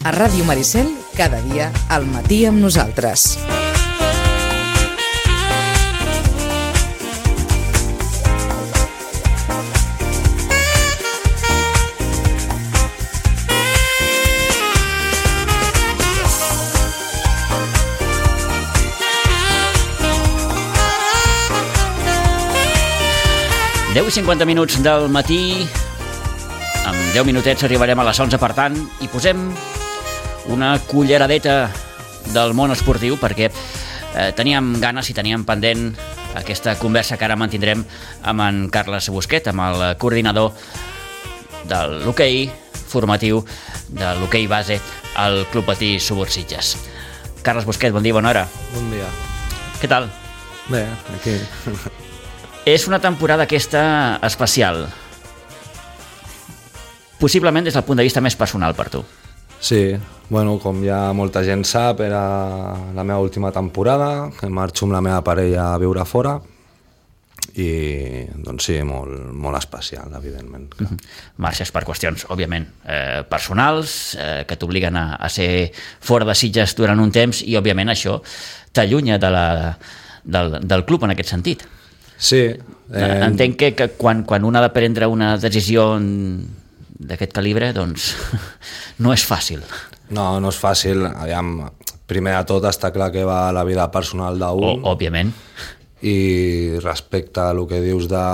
A Ràdio Maricel, cada dia al matí amb nosaltres. Deu i 50 minuts del matí, amb 10 minutets arribarem a les 11, per tant, i posem una culleradeta del món esportiu, perquè teníem ganes i teníem pendent aquesta conversa que ara mantindrem amb en Carles Busquet, amb el coordinador de l'hoquei formatiu, de l'hoquei base al Club Patí Subursitges. Carles Busquet, bon dia, bona hora. Bon dia. Què tal? Bé, aquí... És una temporada aquesta especial, possiblement des del punt de vista més personal per tu. Sí, bueno, com ja molta gent sap, era la meva última temporada, que marxo amb la meva parella a viure fora, i doncs sí, molt especial, evidentment. Marxes per qüestions, òbviament, personals, que t'obliguen a ser fora de Sitges durant un temps, i òbviament això t'allunya del club en aquest sentit. Sí. Entenc que quan un ha de prendre una decisió d'aquest calibre, doncs no és fàcil. No és fàcil. Aviam, primer de tot està clar que va la vida personal d'un. Òbviament. I respecte a el que dius de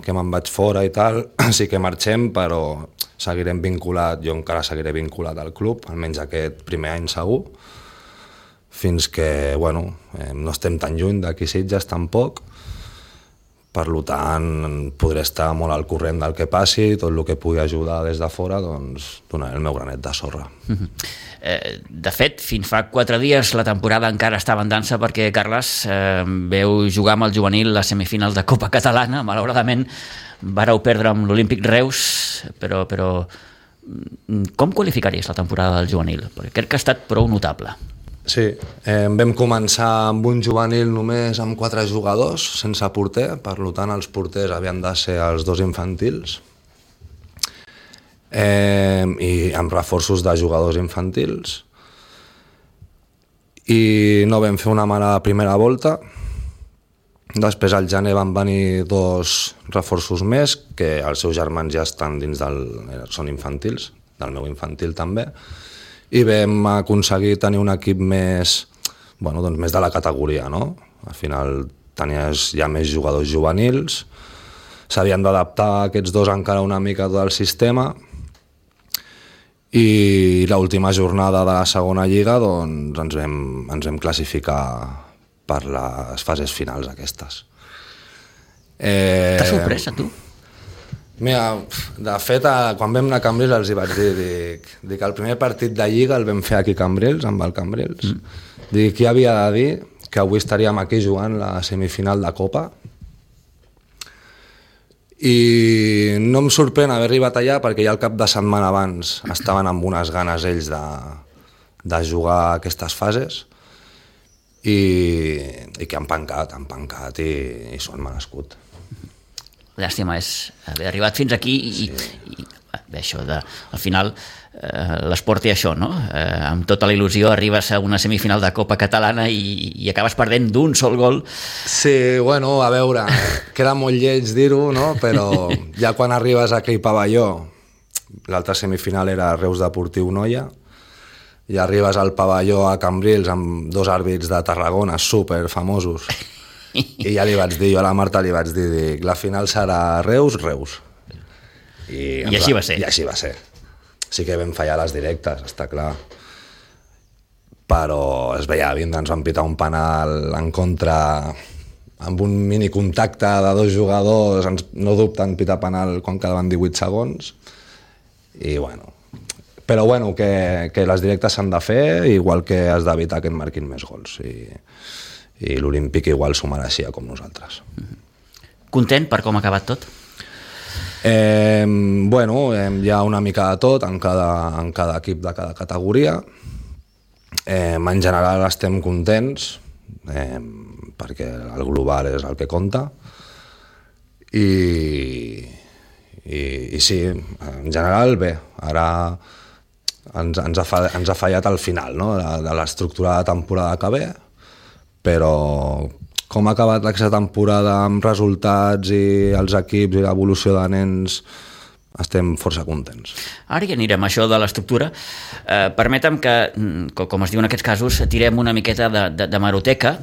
que me'n vaig fora i tal, sí que marxem, però seguirem vinculat, jo encara seguiré vinculat al club, almenys aquest primer any segur, fins que, bueno, no estem tan lluny d'aquí Sitges tampoc. Per tant, podré estar molt al corrent del que passi, tot el que pugui ajudar des de fora, doncs donaré el meu granet de sorra. De fet, fins fa 4 dies la temporada encara estava en dansa, perquè Carles veu jugar amb el juvenil les semifinals de Copa Catalana. Malauradament vareu perdre amb l'Olímpic Reus, però com qualificaries la temporada del juvenil? Perquè crec que ha estat prou notable. Sí, vam començar amb un juvenil només amb 4 jugadors, sense porter, per tant els porters havien de ser els 2 infantils, i amb reforços de jugadors infantils, i no vam fer una mala primera volta. Després al gener van venir 2 reforços més, que els seus germans ja estan dins són infantils, del meu infantil també, i vam aconseguir tenir un equip més de la categoria, no? Al final tenies ja més jugadors juvenils, s'havien d'adaptar aquests 2 encara una mica tot el sistema, i l'última jornada de la segona lliga doncs ens vam classificar per les fases finals aquestes. T'ha sorprès a tu? Mira, de fet, quan vam anar a Cambrils els hi vaig dir que el primer partit de Lliga el vam fer aquí a Cambrils, amb el Cambrils. Dic, qui havia de dir que avui estaríem aquí jugant la semifinal de Copa? I no em sorprèn haver arribat allà, perquè ja el cap de setmana abans estaven amb unes ganes ells de jugar aquestes fases, i que han pancat i s'ho han merescut. Llàstima és haver arribat fins aquí i bé, això al final l'esport té això, no? Amb tota la il·lusió arribes a una semifinal de Copa Catalana i acabes perdent d'un sol gol. Sí, bueno, a veure, queda molt lleig dir-ho, no? Però ja quan arribes a aquell pavelló, l'altra semifinal era Reus Deportiu Noia, i arribes al pavelló a Cambrils amb 2 àrbits de Tarragona super famosos, i ja li vaig dir, jo a la Marta li vaig dir, la final serà Reus. I així va ser. I així va ser. Sí que vam fallar les directes, està clar. Però es veia vint, ens van pitar un penal en contra, amb un mini contacte de 2 jugadors, no dubten pitar penal quan quedaven 18 segons. I bueno, però bueno, que les directes s'han de fer, igual que has d'evitar que et marquin més gols. I l'Olímpic igual s'ho mereixia com nosaltres. Content per com ha acabat tot? Bueno, hi ha una mica de tot en cada equip de cada categoria. En general estem contents, perquè el global és el que compta, i sí, en general bé. Ara ens ha fallat al final, no? de l'estructura de temporada que ve, però com ha acabat aquesta temporada amb resultats i els equips i l'evolució de nens, estem força contents. Ara ja anirem a això de l'estructura. Permetem que, com es diu en aquests casos, tirem una miqueta de meroteca.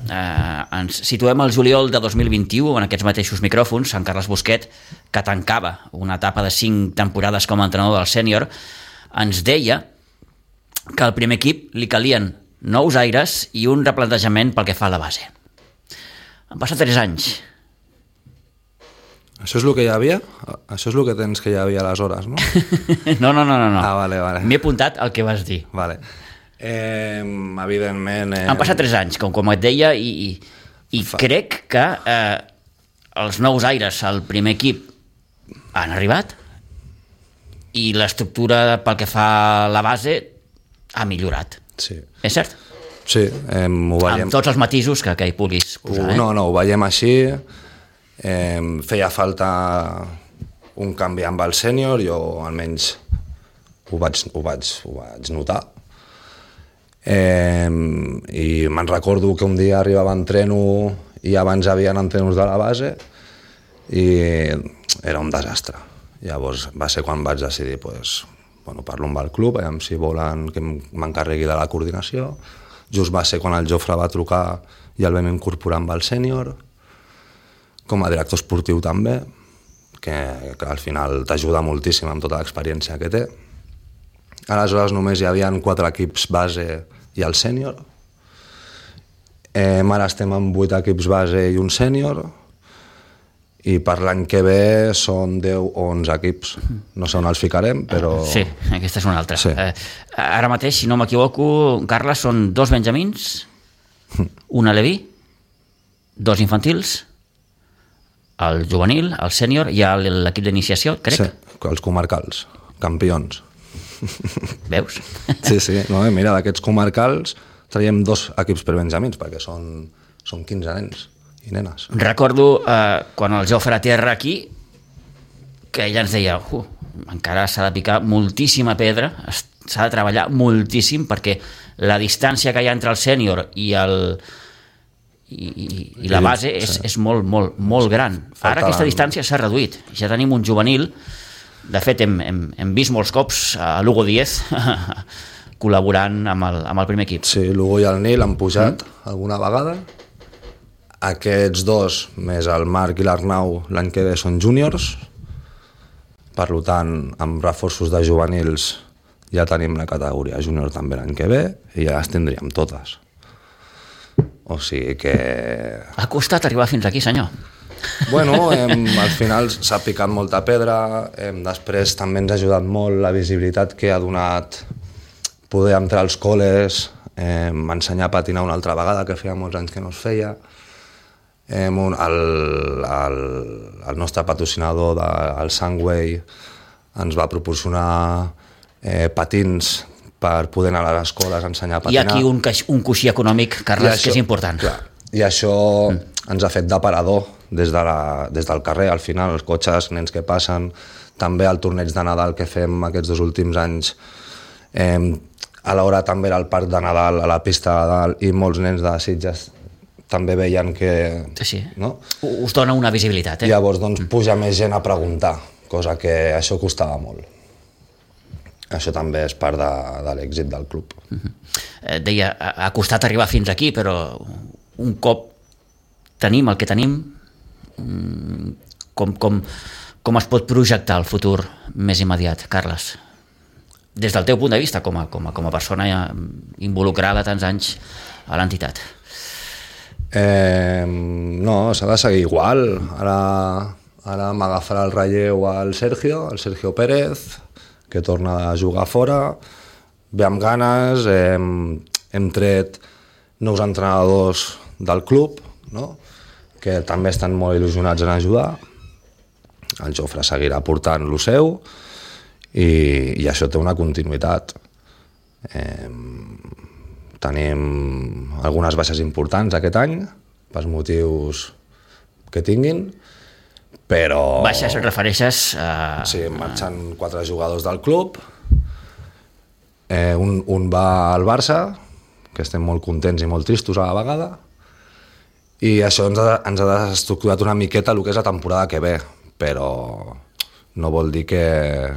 Ens situem al juliol de 2021, en aquests mateixos micròfons, Sant Carles Busquet, que tancava una etapa de 5 temporades com a entrenador del sènior, ens deia que al primer equip li calien nous aires i un replantejament pel que fa a la base. Han passat 3 anys. Això és el que hi havia? Això és el que tens que hi havia aleshores, no? No. Ah, vale. M'he apuntat el que vas dir. Vale. Evidentment... Han passat 3 anys, com et deia, i crec que els nous aires al primer equip han arribat i l'estructura pel que fa a la base ha millorat. Sí. És cert? Sí, ho veiem... Amb tots els matisos que hi puguis posar. No, ho veiem així. Feia falta un canvi amb el sènior, jo almenys ho vaig notar. I me'n recordo que un dia arribava a entreno i abans hi havia entrenos de la base i era un desastre. Llavors va ser quan vaig decidir, parlo amb el club, veiem si volen que m'encarregui de la coordinació. Just va ser quan el Jofre va trucar i el vam incorporar amb el sènior, com a director esportiu també, que al final t'ajuda moltíssim amb tota l'experiència que té. Aleshores només hi havia 4 equips base i el sènior. Ara estem amb 8 equips base i un sènior, i per l'any que ve són 10 o 11 equips. No sé on els ficarem, però... Sí, aquesta és una altra. Sí. Ara mateix, si no m'equivoco, Carles, són 2 benjamins, un aleví, 2 infantils, el juvenil, el sènior i l'equip d'iniciació, crec. Sí, els comarcals, campions. Veus? Sí, no, mira, d'aquests comarcals traiem 2 equips per benjamins, perquè són 15 nens i nenes. Recordo quan el Jofre aterra aquí, que ella ens deia encara s'ha de picar moltíssima pedra, s'ha de treballar moltíssim, perquè la distància que hi ha entre el sènior i la base és molt gran. Ara aquesta distància s'ha reduït. Ja tenim un juvenil. De fet, hem vist molts cops a l'Hugo Díez col·laborant amb el primer equip. Sí, l'Hugo i el Nil han pujat alguna vegada. Aquests 2, més el Marc i l'Arnau, l'any que ve són júniors. Per tant, amb reforços de juvenils ja tenim la categoria júnior també l'any que ve i ja les tindríem totes. O sigui que... Ha costat arribar fins aquí, senyor. Bueno, al final s'ha picat molta pedra, després també ens ha ajudat molt la visibilitat que ha donat poder entrar als col·les, ensenyar a patinar una altra vegada, que feia molts anys que no es feia. El nostre patrocinador, el Sunway, ens va proporcionar patins per poder anar a les escoles a ensenyar a patinar. Hi ha aquí un coixí econòmic, Carles, que és important. Clar, i això ens ha fet d'aparador des del carrer, al final, els cotxes, nens que passen, també el torneig de Nadal que fem aquests 2 últims anys, a l'hora també era el parc de Nadal a la pista de dalt i molts nens de Sitges també veien que... Sí. No? Us dona una visibilitat. Llavors puja més gent a preguntar, cosa que això costava molt. Això també és part de l'èxit del club. Deia, ha costat arribar fins aquí, però un cop tenim el que tenim, com es pot projectar el futur més immediat, Carles? Des del teu punt de vista, com a persona involucrada tants anys a l'entitat. No, s'ha de seguir igual. Ara m'agafarà el relleu el Sergio Pérez, que torna a jugar fora, ve amb ganes, hem tret nous entrenadors del club, no? Que també estan molt il·lusionats en ajudar. El Jofre seguirà portant lo seu i això té una continuïtat. Tenim algunes baixes importants aquest any, pels motius que tinguin, però... Baixes, refereixes a... Sí, marxen 4 jugadors del club Un va al Barça, que estem molt contents i molt tristos a la vegada, i això ens ha desestructurat una miqueta el que és la temporada que ve, però no vol dir que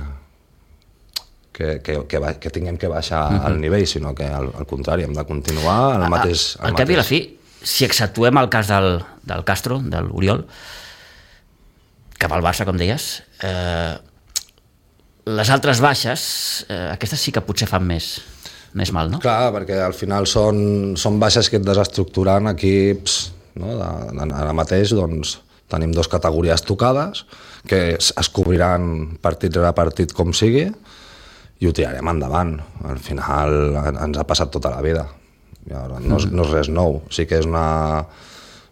tinguem que baixar el nivell, sinó que al contrari, hem de continuar al mateix... Al cap i a la fi, si exceptuem el cas del Castro, de l'Oriol, cap al Barça, com deies, les altres baixes, aquestes sí que potser fan més mal, no? Clar, perquè al final són baixes que et desestructuren equips, no? Ara mateix doncs, tenim 2 categories tocades, que es cobriran partit rere partit com sigui, i ho tirarem endavant. Al final ens ha passat tota la vida. No és res nou. Sí que és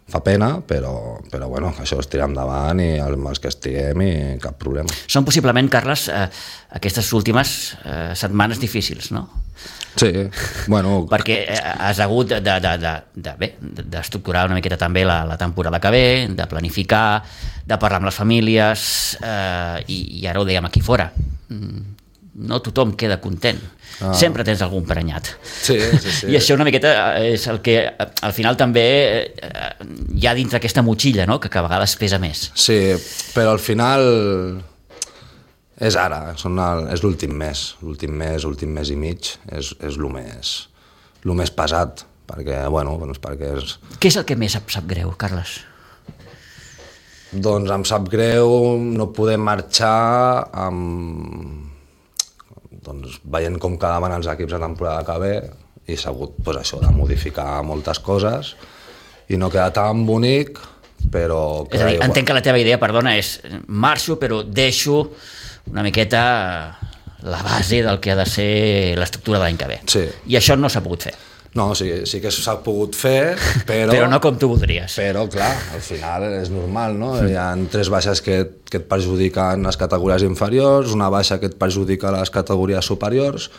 fa pena, però bueno, això es tira endavant i amb els que estiguem i cap problema. Són possiblement, Carles, aquestes últimes setmanes difícils, no? Sí, bueno... Perquè has hagut d'estructurar una miqueta també la temporada que ve, de planificar, de parlar amb les famílies, i ara ho dèiem aquí fora. No tothom queda content. Sempre tens algun prenyat. Sí. I això una miqueta és el que al final també hi ha dins d'aquesta motxilla, no? Que a vegades pesa més. Sí, però al final és ara, és l'últim mes i mig, és el més pesat, perquè, perquè és... Què és el que més sap greu, Carles? Doncs em sap greu no poder marxar amb... Doncs, veient com quedaven els equips a temporada que ve, i s'ha hagut això de modificar moltes coses i no queda tan bonic, però... És a dir, entenc que la teva idea, perdona, és marxo però deixo una miqueta la base del que ha de ser l'estructura de l'any que ve. Sí. I això no s'ha pogut fer. No, sí que s'ha pogut fer, però... Però no com tu voldries. Però, clar, al final és normal, no? Hi ha 3 baixes que et perjudiquen les categories inferiors, una baixa que et perjudica les categories superiors,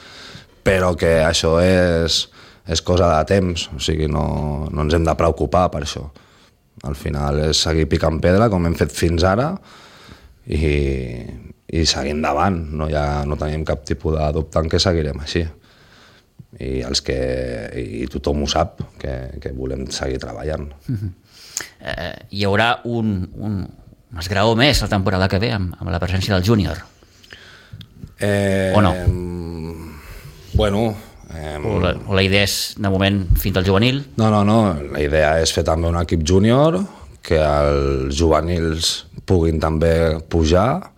però que això és cosa de temps, o sigui, no ens hem de preocupar per això. Al final és seguir picant pedra, com hem fet fins ara, i seguir endavant. No tenim cap tipus de dubte en què seguirem així. I tothom ho sap, que volem seguir treballant. Hi haurà un esgraó més la temporada que ve amb la presència del júnior? O no? Bueno... O la idea és, de moment, fins al juvenil? No, la idea és fer també un equip júnior, que els juvenils puguin també pujar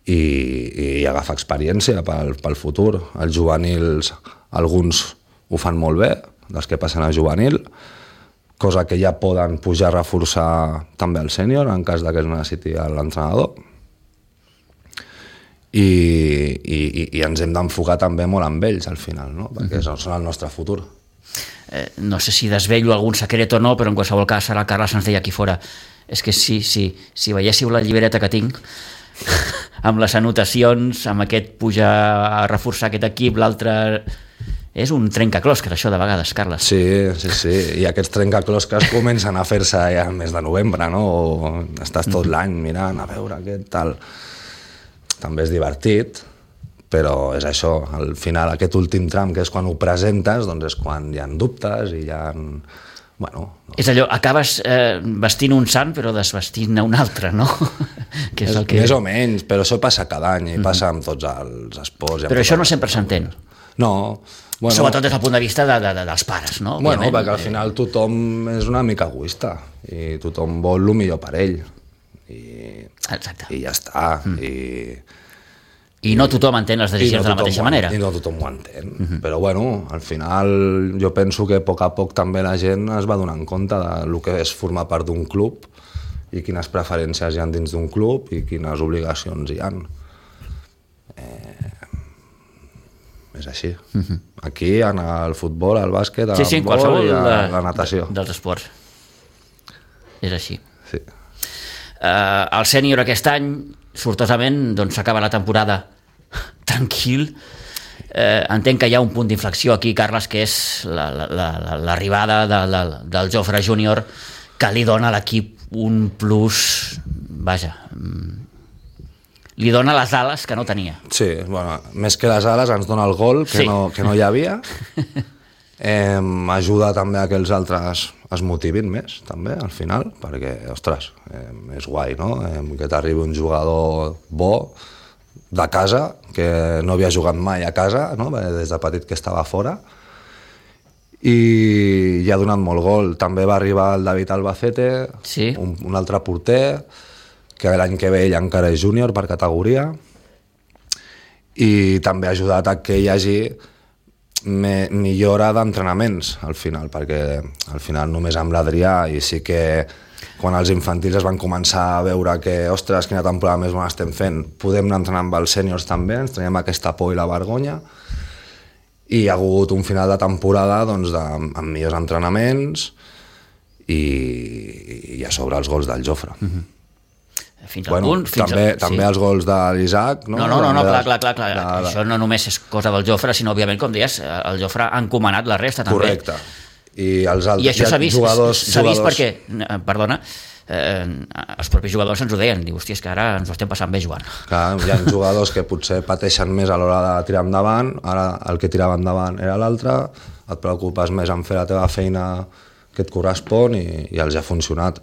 i agafar experiència pel futur. Els juvenils, alguns ho fan molt bé, dels que passen a juvenil, cosa que ja poden pujar a reforçar també el sènior en cas que es necessiti l'entrenador. I ens hem d'enfocar també molt amb ells al final, no? Perquè són el nostre futur. No sé si desvello algun secret o no, però en qualsevol cas ara el Carles ens deia aquí fora, és que si veiéssiu la llibreta que tinc amb les anotacions, amb aquest pujar a reforçar aquest equip, l'altre... És un trencaclosques, això, de vegades, Carles. Sí. I aquests trencaclosques comencen a fer-se ja al mes de novembre, no? O estàs tot l'any mirant a veure què tal. També és divertit, però és això. Al final, aquest últim tram, que és quan ho presentes, doncs és quan hi ha dubtes i hi ha... Bueno, no. És allò, acabes vestint un sant però desvestint un altre, no? Que és el que... Més o menys, però això passa cada any i passa amb tots els esports. Però això no sempre s'entén. No. Bueno, sobretot des del punt de vista dels pares, no? Bueno, perquè al final tothom és una mica egoista i tothom vol el millor per ell. Exacte. I ja està. I no tothom entén les decisions de la mateixa manera. I no tothom ho entén. Però bueno, al final jo penso que a poc també la gent es va donar compte del que és formar part d'un club i quines preferències hi ha dins d'un club i quines obligacions hi ha. És així. Aquí, en el futbol, al bàsquet, al handbol i a la natació. Dels esports. És així. Sí. El sènior aquest any, sortosament, doncs s'acaba la temporada tranquil. Entenc que hi ha un punt d'inflexió aquí, Carles, que és l'arribada del Jofre Júnior, que li dona a l'equip un plus, vaja, li dona les ales que no tenia. Sí, bueno, més que les ales ens dona el gol que no hi havia. Ajuda també a que els altres es motivin més, també, al final, perquè, ostres, és guai, no? Que t'arribi un jugador bo de casa, que no havia jugat mai a casa, no? Des de petit que estava fora, i ha donat molt gol. També va arribar el David Albacete, sí. un altre porter, que l'any que ve ell encara és júnior per categoria, i també ha ajudat a que hi hagi millora d'entrenaments al final, perquè al final només amb l'Adrià, i sí que quan els infantils es van començar a veure que, ostres, quina temporada més bona estem fent, podem anar entrenant amb els sèniors també, ens traiem aquesta por i la vergonya, i hi ha hagut un final de temporada doncs, amb millors entrenaments i a sobre els gols del Jofre. Fins al punt... També els gols de l'Isaac... No, clar. Això no només és cosa del Jofre, sinó, òbviament, com deies, el Jofre ha encomanat la resta, també. Correcte. I els altres... I això s'ha vist perquè, perdona, els propis jugadors ens ho deien, diu, hòstia, és que ara ens ho estem passant bé jugant. Clar, hi ha jugadors que potser pateixen més a l'hora de tirar endavant, ara el que tirava endavant era l'altre, et preocupes més en fer la teva feina que et correspon i els ha funcionat.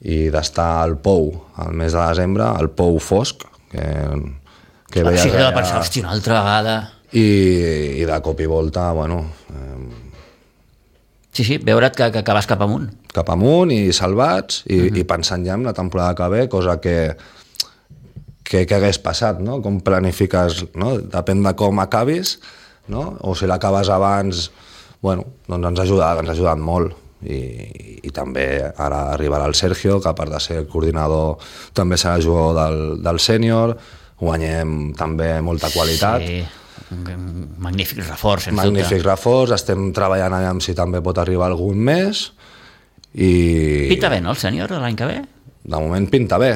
I d'estar al Pou al mes de desembre, al Pou fosc, que veies... Sí, que de pensar, hòstia, una altra vegada... I de cop i volta, bueno... Sí, veure't que vas cap amunt. Cap amunt i salvats i pensant ja en la temporada que ve, cosa que hagués passat, no? Com planifiques, no? Depèn de com acabis, no? O si l'acabes abans, bueno, doncs ens ha ajudat molt. I també ara arribarà el Sergio, que a part de ser el coordinador també serà jugador del sènior, guanyem també molta qualitat. Sí, un magnífic reforç, sens dubte. Reforç, estem treballant allà si també pot arribar algun més. Pinta bé, no, el sènior, l'any que ve? De moment pinta bé.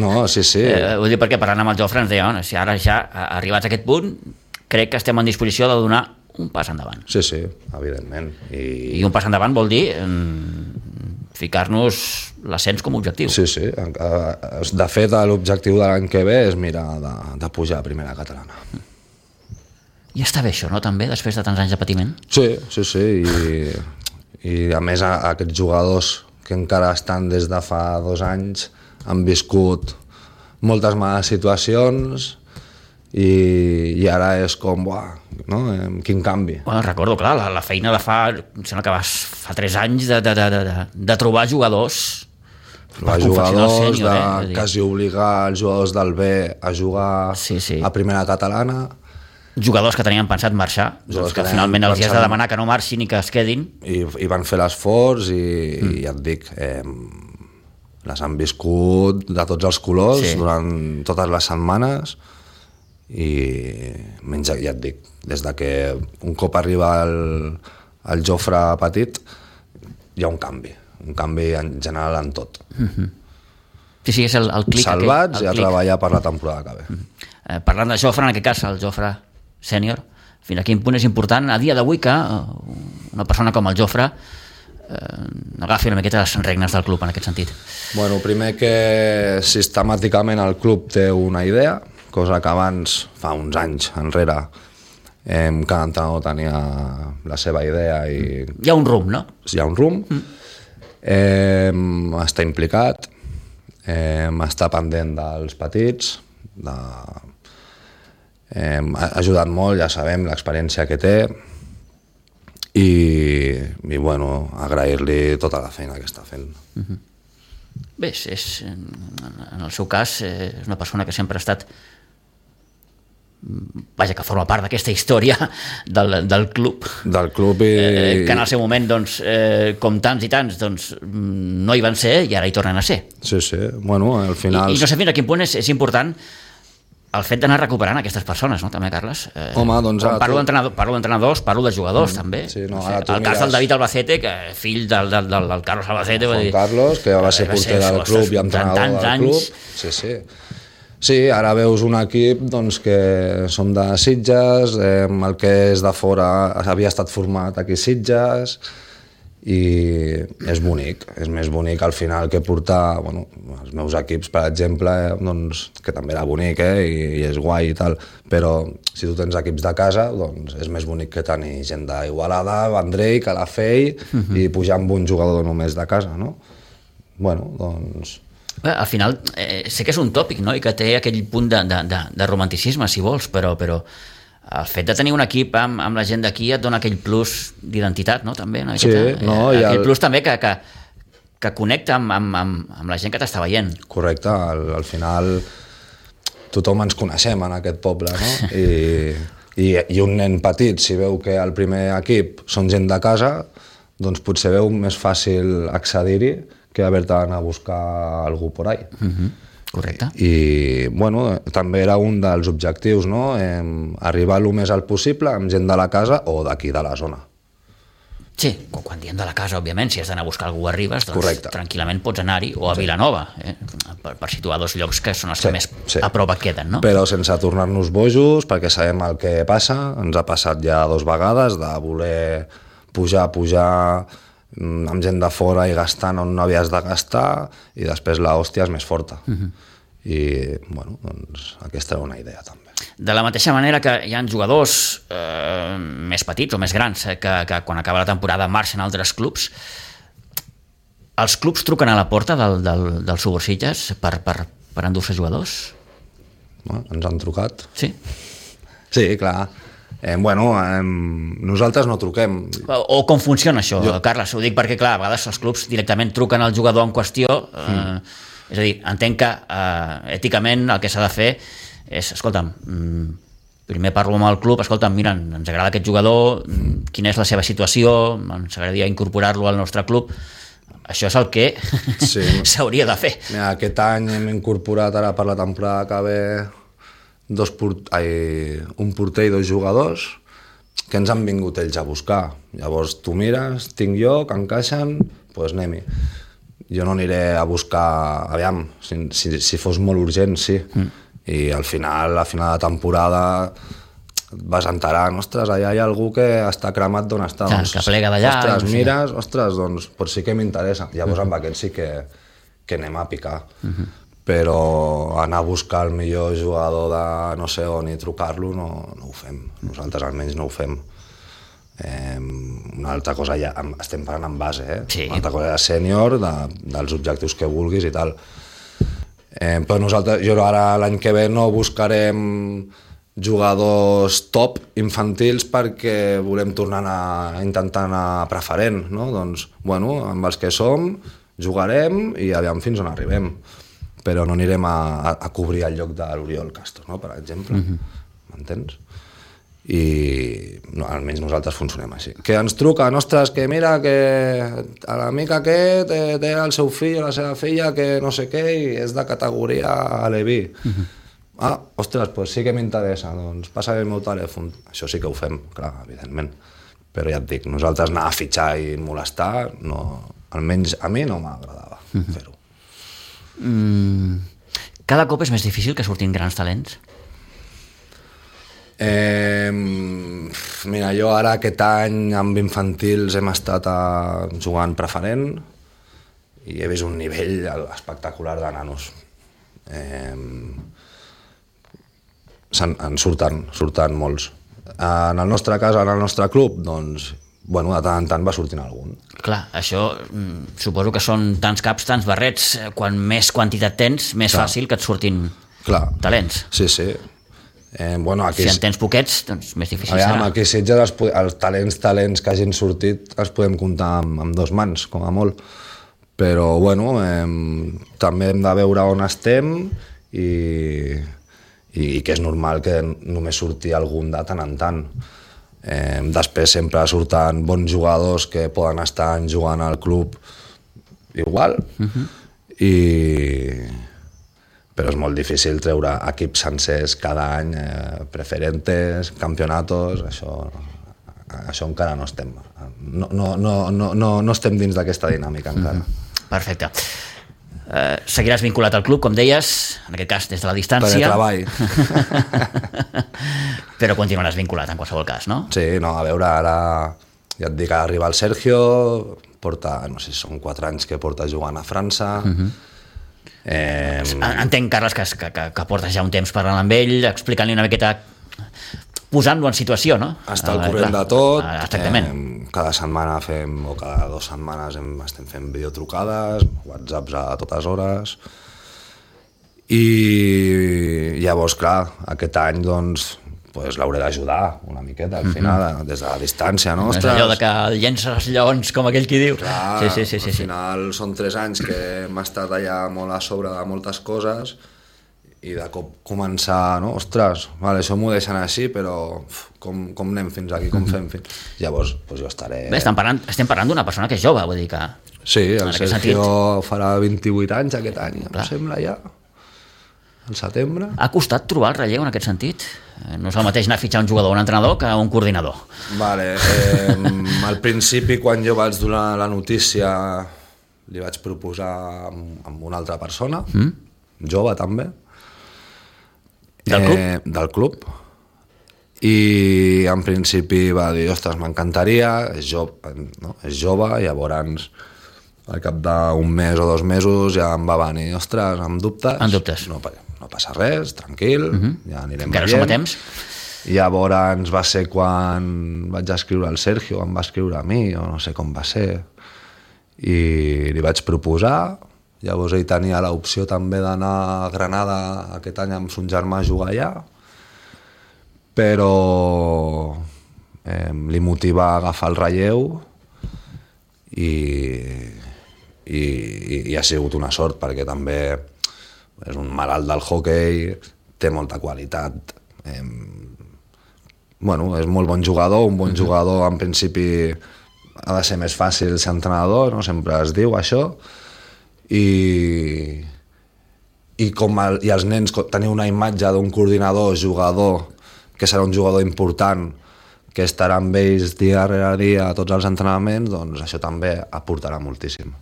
No, sí. Vull dir, perquè parlant amb el Jofre ens deia, si ara ja arribats a aquest punt, crec que estem en disposició de donar un pas endavant. Sí, evidentment. I un pas endavant vol dir ficar-nos l'ascens com a objectiu. Sí. De fet, l'objectiu de l'any que ve és mirar de pujar a primera catalana. I està bé això, no, també, després de tants anys de patiment? Sí. I a més, aquests jugadors que encara estan des de fa 2 anys han viscut moltes males situacions i ara és com, no? Quin canvi. Bueno, recordo, clar, la feina de em sembla que fa 3 anys de trobar jugadors jugadors de quasi obligar els jugadors del B a jugar a primera catalana, jugadors que tenien pensat marxar, que finalment els has de demanar que no marxin i que es quedin, i van fer l'esforç i ja et dic, les han viscut de tots els colors durant totes les setmanes. I menys, ja et dic, des de que un cop arriba el Jofre petit hi ha un canvi en general en tot. Sí, és el clic. Salvats i a treballar per la temporada que ve. Parlant de Jofre, en aquest cas el Jofre sènior, fins a quin punt és important a dia d'avui que una persona com el Jofre agafi una miqueta les regnes del club en aquest sentit? Bueno, primer que sistemàticament el club té una idea, cosa que abans, fa uns anys enrere, cada entrenador tenia la seva idea i... Hi ha un rumb, no? Hi ha un rumb, està implicat, està pendent dels petits, ha ajudat molt, ja sabem, l'experiència que té, i bueno, agrair-li tota la feina que està fent. Bé, en el seu cas, és una persona que sempre ha estat, que forma part d'aquesta història del club. Del club que en el seu moment, doncs, com tants i tants, doncs, no hi van ser i ara hi tornen a ser. Sí, bueno, al final... I no sé fins a quin punt és important el fet d'anar recuperant aquestes persones, no, també, Carles? Home, doncs... Parlo d'entrenadors, parlo de jugadors, també. Sí, no, el cas del David Albacete, que fill del Carlos Albacete... Juan Carlos, que va ser porter del club i entrenador del club. Sí, ara veus un equip doncs, que som de Sitges, el que és de fora havia estat format aquí a Sitges, i és bonic, és més bonic al final que portar, bueno, els meus equips, per exemple, doncs, que també era bonic, i és guai i tal, però si tu tens equips de casa, doncs és més bonic que tenir gent d'Igualada, Vendrell, Calafell, i pujar amb un jugador només de casa, no? Bueno, doncs... Bé, al final, sé que és un tòpic, no?, i que té aquell punt de romanticisme, si vols, però el fet de tenir un equip amb la gent d'aquí et dona aquell plus d'identitat, no?, també. No? Sí, no, aquell plus també que connecta amb la gent que t'està veient. Correcte, al final tothom ens coneixem en aquest poble, no? I un nen petit, si veu que el primer equip són gent de casa, doncs potser veu més fàcil accedir-hi que haver-te d'anar a buscar algú por ahí. Correcte. I, bueno, també era un dels objectius, no? Arribar el més alt possible amb gent de la casa o d'aquí, de la zona. Sí, quan diem de la casa, òbviament, si has d'anar a buscar algú arribes, doncs correcte, tranquil·lament pots anar-hi, o a Vilanova, per situar dos llocs que són els que més a prop et queden, no? Però sense tornar-nos bojos, perquè sabem el que passa, ens ha passat ja 2 vegades de voler pujar amb gent de fora i gastant on no havies de gastar, i després l'hòstia és més forta. I, bueno, doncs aquesta era una idea també. De la mateixa manera que hi ha jugadors més petits o més grans que quan acaba la temporada marxen a altres clubs, els clubs truquen a la porta del Suborsilles per endur-se jugadors? Ens han trucat. Sí? Sí, clar. Nosaltres no truquem. O com funciona això, Carles? Ho dic perquè, clar, a vegades els clubs directament truquen al jugador en qüestió, és a dir, entenc que èticament el que s'ha de fer és, escolta'm, primer parlo amb el club, escolta'm, mira, ens agrada aquest jugador, quina és la seva situació, ens agradaria incorporar-lo al nostre club. Això és el que s'hauria de fer. Mira, aquest any hem incorporat, ara per la temporada que ve, un porter i 2 jugadors que ens han vingut ells a buscar. Llavors tu mires, tinc jo, que encaixen, doncs anem-hi. Jo no aniré a buscar, aviam, si fos molt urgent, sí. I al final, a final de temporada, vas enterant, ostres, allà hi ha algú que està cremat d'on està. Que plega d'allà. Ostres, mires, ostres, doncs pot sí que m'interessa. Llavors amb aquest sí que anem a picar. Però anar a buscar el millor jugador de no sé on i trucar-lo no ho fem. Nosaltres almenys no ho fem. Una altra cosa, ja estem parlant en base, Sí. Una altra cosa és sènior, dels objectius que vulguis i tal. Però nosaltres, jo ara l'any que ve no buscarem jugadors top infantils perquè volem tornar a intentar anar preferent, no? Doncs, bueno, amb els que som jugarem i aviam fins on arribem. Però no anirem a cobrir el lloc de l'Oriol Castro, no? Per exemple. M'entens? I almenys nosaltres funcionem així. Que ens truquen, ostres, que mira que l'amic aquest té el seu fill o la seva filla que no sé què i és de categoria Aleví. Ostres, doncs sí que m'interessa, doncs passa el meu telèfon. Això sí que ho fem, clar, evidentment. Però ja et dic, nosaltres anar a fitxar i molestar, no, almenys a mi no m'agradava fer-ho. Cada cop és més difícil que surtin grans talents? Mira, jo ara aquest any amb infantils hem estat jugant preferent i he vist un nivell espectacular de nanos. En surten molts. En el nostre cas, en el nostre club, doncs, bueno, de tant en tant va sortint algun. Clar, això suposo que són tants caps, tants barrets. Quan més quantitat tens, més fàcil que et surtin talents. Sí. Aquí, si en tens poquets, doncs més difícil serà. Aquí a Sitges els talents que hagin sortit els podem comptar amb 2 mans, com a molt. Però, bueno, també hem de veure on estem i que és normal que només surti algun de tant en tant. Després sempre surten bons jugadors que poden estar jugant al club igual, però és molt difícil treure equips sencers cada any, preferentes, campionatos, això encara no estem. No estem dins d'aquesta dinàmica encara. Perfecte. Seguiràs vinculat al club, com deies, en aquest cas des de la distància. Per treball. Però continuaràs vinculat en qualsevol cas, no? Sí, no, a veure, ara Ja et dic, arriba el Sergio, porta, no sé si són 4 anys que porta jugant a França. Entenc, Carles, que portes ja un temps parlant amb ell, explicant-li una miqueta, posant-lo en situació, no? Està al corrent de tot. Exactament. Cada setmana o cada 2 setmanes estem fent videotrucades, whatsapps a totes hores. I llavors, clar, aquest any, doncs, l'hauré d'ajudar una miqueta al final, des de la distància, no? És allò de que llences els lleons, com aquell qui diu. Clar, sí. al final són 3 anys que hem estat allà molt a sobre de moltes coses i de cop començar, no? Ostres, vale, això m'ho deixen així, però com anem fins aquí, com fem fins... Llavors, jo estaré... Bé, estem parlant d'una persona que és jove, vull dir que... Sí, el Sergio farà 28 anys aquest any, em sembla ja. Al setembre. Ha costat trobar el relleu en aquest sentit? No és el mateix anar a fitxar un jugador o un entrenador que un coordinador. Vale, al principi, quan jo vaig donar la notícia, li vaig proposar amb una altra persona, jove també, del club? Del club. I en principi va dir, ostres, m'encantaria, és jove, llavors al cap d'un mes o 2 mesos ja em va venir, ostres, amb dubtes. Amb dubtes. No passa res, tranquil, ja anirem encara som a temps. Llavors va ser quan vaig escriure al Sergio, em va escriure a mi, o no sé com va ser, i li vaig proposar. Llavors ell tenia l'opció també d'anar a Granada aquest any amb son germà a jugar allà, però li motiva a agafar el relleu i ha sigut una sort perquè també és un malalt del hoquei, té molta qualitat, és molt bon jugador, un bon jugador en principi ha de ser més fàcil ser entrenador, no? Sempre es diu això, i els nens tenir una imatge d'un coordinador, jugador, que serà un jugador important, que estarà amb ells dia rere dia a tots els entrenaments, doncs això també aportarà moltíssim.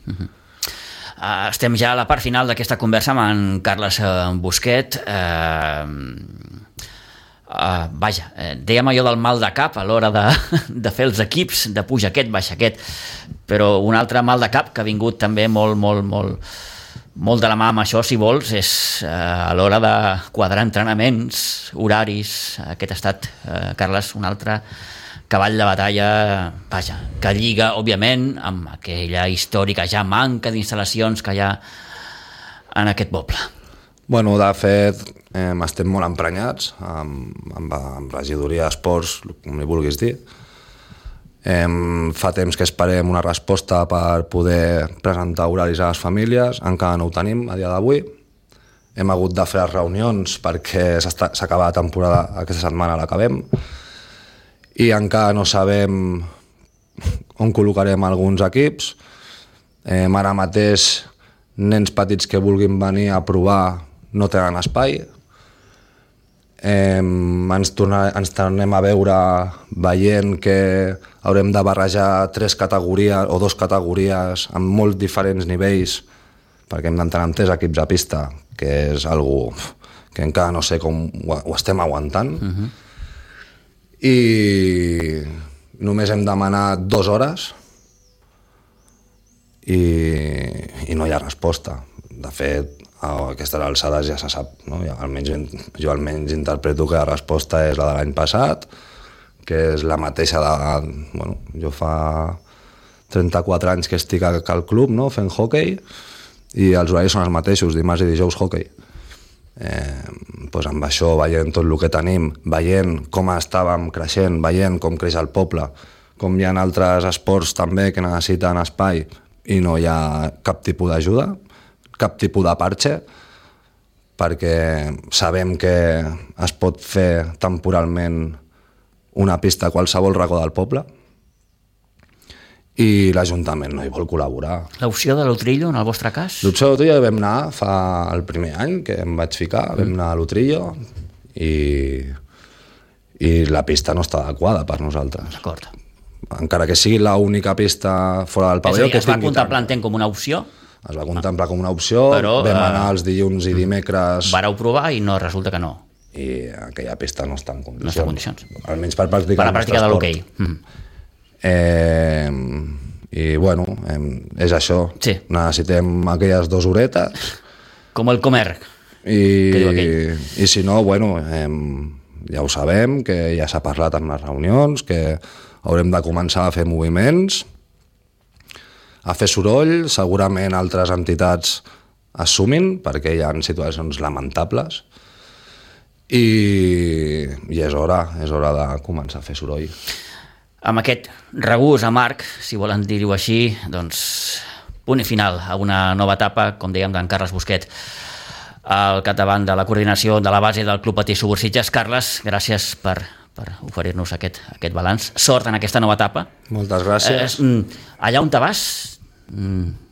Estem ja a la part final d'aquesta conversa amb en Carles Busquet. Dèiem allò del mal de cap a l'hora de fer els equips, de puja aquest, baixa aquest, però un altre mal de cap que ha vingut també molt de la mà amb això, si vols, és a l'hora de quadrar entrenaments, horaris. Aquest ha estat, Carles, un altre cavall de batalla, que lliga, òbviament, amb aquella històrica ja manca d'instal·lacions que hi ha en aquest poble. Bueno, de fet, estem molt emprenyats amb regidoria d'esports, com li vulguis dir. Fa temps que esperem una resposta per poder presentar horaris a les famílies, encara no ho tenim a dia d'avui. Hem hagut de fer les reunions perquè s'acaba la temporada, aquesta setmana l'acabem, i encara no sabem on col·locarem alguns equips. Ara mateix nens petits que vulguin venir a provar no tenen espai. Ens tornem a veure veient que haurem de barrejar 3 categories o 2 categories amb molt diferents nivells, perquè hem d'entrar amb 3 equips a pista, que és algo que encara no sé com ho estem aguantant. I només hem demanat 2 hores i no hi ha resposta. De fet, a aquestes alçades ja se sap, no? Jo almenys interpreto que la resposta és la de l'any passat, que és la mateixa jo fa 34 anys que estic al club, no? Fent hoquei, i els horaris són els mateixos, dimarts i dijous hoquei. Amb això, veient tot el que tenim, veient com estàvem creixent, veient com creix el poble, com hi ha altres esports també que necessiten espai i no hi ha cap tipus d'ajuda, cap tipus de parche, perquè sabem que es pot fer temporalment una pista a qualsevol racó del poble i l'Ajuntament no hi vol col·laborar. L'opció de l'Utrillo, en el vostre cas? L'opció de l'Utrillo vam anar el primer any que em vaig ficar, vam anar a l'Utrillo i la pista no està adequada per nosaltres. D'acord. Encara que sigui l'única pista fora del pavelló. Es va contemplar, entenc, com una opció? Es va contemplar com una opció, però vam anar els dilluns i dimecres... Vareu provar i no, resulta que no. I aquella pista no està en condicions. No està en condicions. Almenys per practicar per la pràctica de l'hoquei. I bueno, és això. Sí. Necessitem aquelles 2 horetes. Com el Comer. I si no, bueno, ja ho sabem, que ja s'ha parlat en les reunions, que haurem de començar a fer moviments, a fer soroll, segurament altres entitats es sumin, perquè hi ha situacions lamentables, i és hora de començar a fer soroll. Amb aquest regús amarg, si volen dir-ho així, doncs punt i final a una nova etapa, com dèiem, d'en Carles Busquet al capdavant de la coordinació de la base del Club Patí Subur Sitges. Carles, gràcies per oferir-nos aquest balanç. Sort en aquesta nova etapa. Moltes gràcies. Allà on te vas...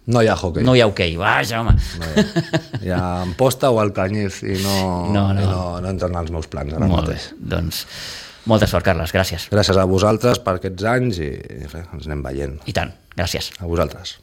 No hi ha hoquei. No hi ha hoquei, vaja, home. No hi ha Amposta o Alcañiz i no entren als meus plans ara mateix. Doncs molta sort, Carles, gràcies. Gràcies a vosaltres per aquests anys i res, ens anem veient. I tant, gràcies. A vosaltres.